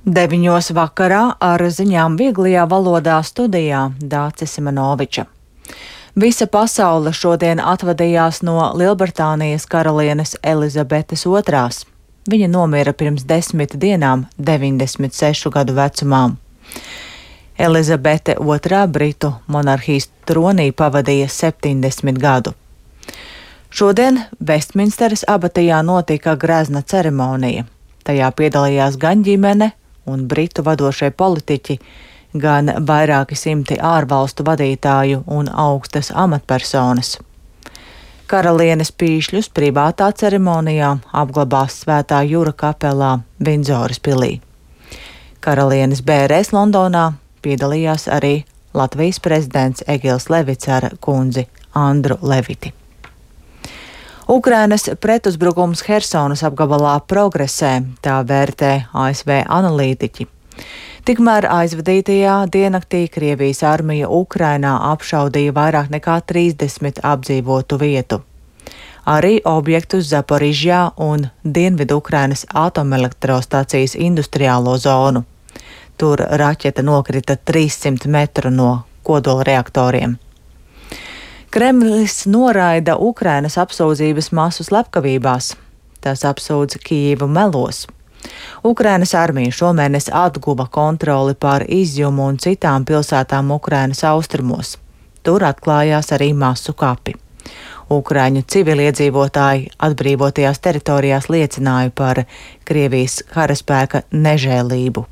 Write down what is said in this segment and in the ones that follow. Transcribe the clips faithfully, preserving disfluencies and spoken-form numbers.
Deviņos vakarā ar ziņām vieglajā valodā studijā Dācis Simanoviča. Visa pasaule šodien atvadījās no Lielbritānijas karalienes Elizabetes otrās. Viņa nomira pirms desmit dienām, deviņdesmit sešu gadu vecumā. Elizabete otrā Britu monarhijas tronī pavadīja septiņdesmit gadu. Šodien Vestminsteras abatijā notika grezna ceremonija. Tajā piedalījās gan ģimene un Britu vadošie politiķi, gan vairāki simti ārvalstu vadītāju un augstas amatpersonas. Karalienes pīšļus privātā ceremonijā apglabās Svētā Jura kapelā Vindzoras pilī. Karalienes bērēs Londonā piedalījās arī Latvijas prezidents Egils Levits ar kundzi Andru Leviti. Ukrainas pretuzbrukums Hersonas apgabalā progresē, tā vērtē A S V analītiķi. Tikmēr aizvadītajā diennaktī Krievijas armija Ukrainā apšaudīja vairāk nekā trīsdesmit apdzīvotu vietu. Arī objektus Zaporižjā un Dienvidu Ukrainas atomelektrostacijas industriālo zonu. Tur raķete nokrita trīssimt metru no kodola reaktoriem. Kremlis noraida Ukrainas apsūdzības masu slepkavībās. Tas apsūdz Kijivu melos. Ukrainas armija šomēnes atguva kontroli pār Izjumu un citām pilsētām Ukrainas austrumos. Tur atklājās arī masu kapi. Ukraiņu civiliedzīvotāji atbrīvotajās teritorijās liecināja par Krievijas karaspēka nežēlību.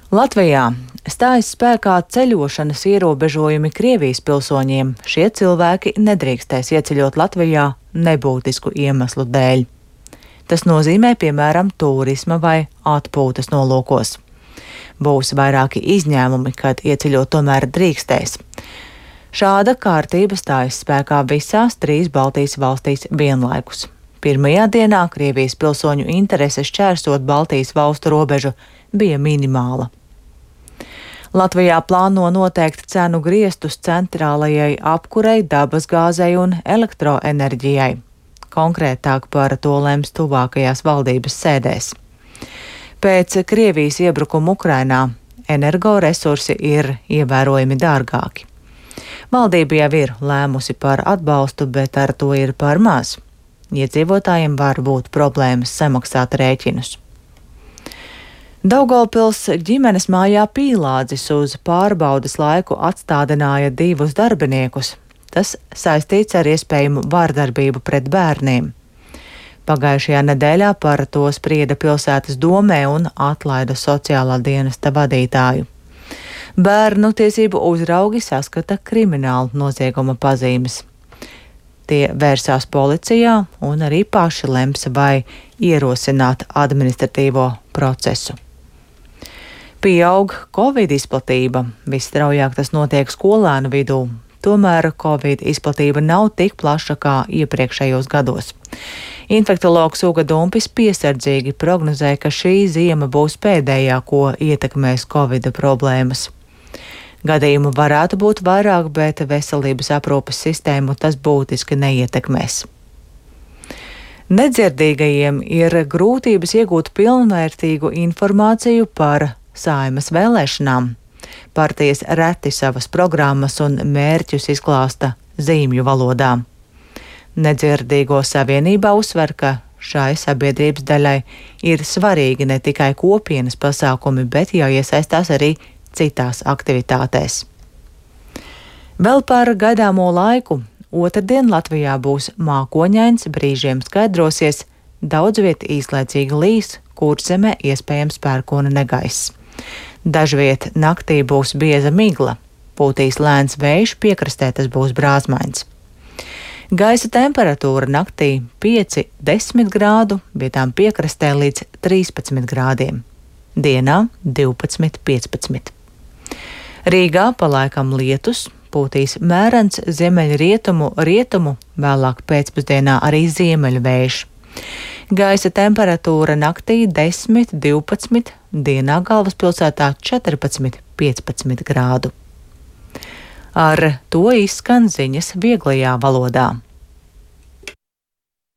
Latvijā stājas spēkā ceļošanas ierobežojumi Krievijas pilsoņiem. Šie cilvēki nedrīkstēs ieceļot Latvijā nebūtisku iemeslu dēļ. Tas nozīmē, piemēram, turisma vai atpūtas nolūkos. Būs vairāki izņēmumi, kad ieceļot tomēr drīkstēs. Šāda kārtība stājas spēkā visās trīs Baltijas valstīs vienlaikus. Pirmajā dienā Krievijas pilsoņu interese šķērsot Baltijas valstu robežu bija minimāla. Latvijā plāno noteikt cenu griestus centrālajai apkurei, dabasgāzei un elektroenerģijai. Konkrētāk par to lems tuvākajās valdības sēdēs. Pēc Krievijas iebrukuma Ukrainā energoresursi ir ievērojami dārgāki. Valdība jau ir lēmusi par atbalstu, bet ar to ir par maz. Iedzīvotājiem var būt problēmas samaksāt rēķinus. Daugavpils ģimenes mājā Pīlādzis uz pārbaudes laiku atstādināja divus darbiniekus. Tas saistīts ar iespējamu vārdarbību pret bērniem. Pagājušajā nedēļā par to sprieda pilsētas domē un atlaida sociālā dienesta vadītāju. Bērnu tiesību uzraugi saskata kriminālu nozieguma pazīmes. Tie vērsās policijā un arī paši lems vai ierosināt administratīvo procesu. Pieaug Covid izplatība, visstraujāk tas notiek skolēnu vidū, tomēr Covid izplatība nav tik plaša kā iepriekšējos gados. Infektologs Uga Dumpis piesardzīgi prognozē, ka šī ziema būs pēdējā, ko ietekmēs Covid problēmas. Gadījumu varētu būt vairāk, bet veselības aprūpes sistēmu tas būtiski neietekmēs. Nedzirdīgajiem ir grūtības iegūt pilnvērtīgu informāciju par Saeimas vēlēšanām. Partijas reti savas programmas un mērķus izklāsta zīmju valodā. Nedzirdīgo savienībā uzsver, ka šai sabiedrības daļai ir svarīgi ne tikai kopienas pasākumi, bet jāiesaistās arī citās aktivitātēs. Vēl par gaidāmo laiku. Otrdien Latvijā būs mākoņains, brīžiem skaidrosies, daudz viet īslaicīgi līs, Kurzemē iespējams pērkona negaiss. Dažviet naktī būs bieza migla, pūtīs lēns vējš, piekrastē tas būs brāzmains. Gaisa temperatūra naktī pieci līdz desmit grādu, vietām piekrastē līdz trīspadsmit grādiem. Dienā divpadsmit līdz piecpadsmit. Rīgā palaikam lietus, pūtīs mērens ziemeļrietumu, rietumu, vēlāk pēcpusdienā arī ziemeļu vējš. Gaisa temperatūra naktī desmit līdz divpadsmit, dienā galvaspilsētā četrpadsmit līdz piecpadsmit grādu. Ar to izskan ziņas vieglajā valodā.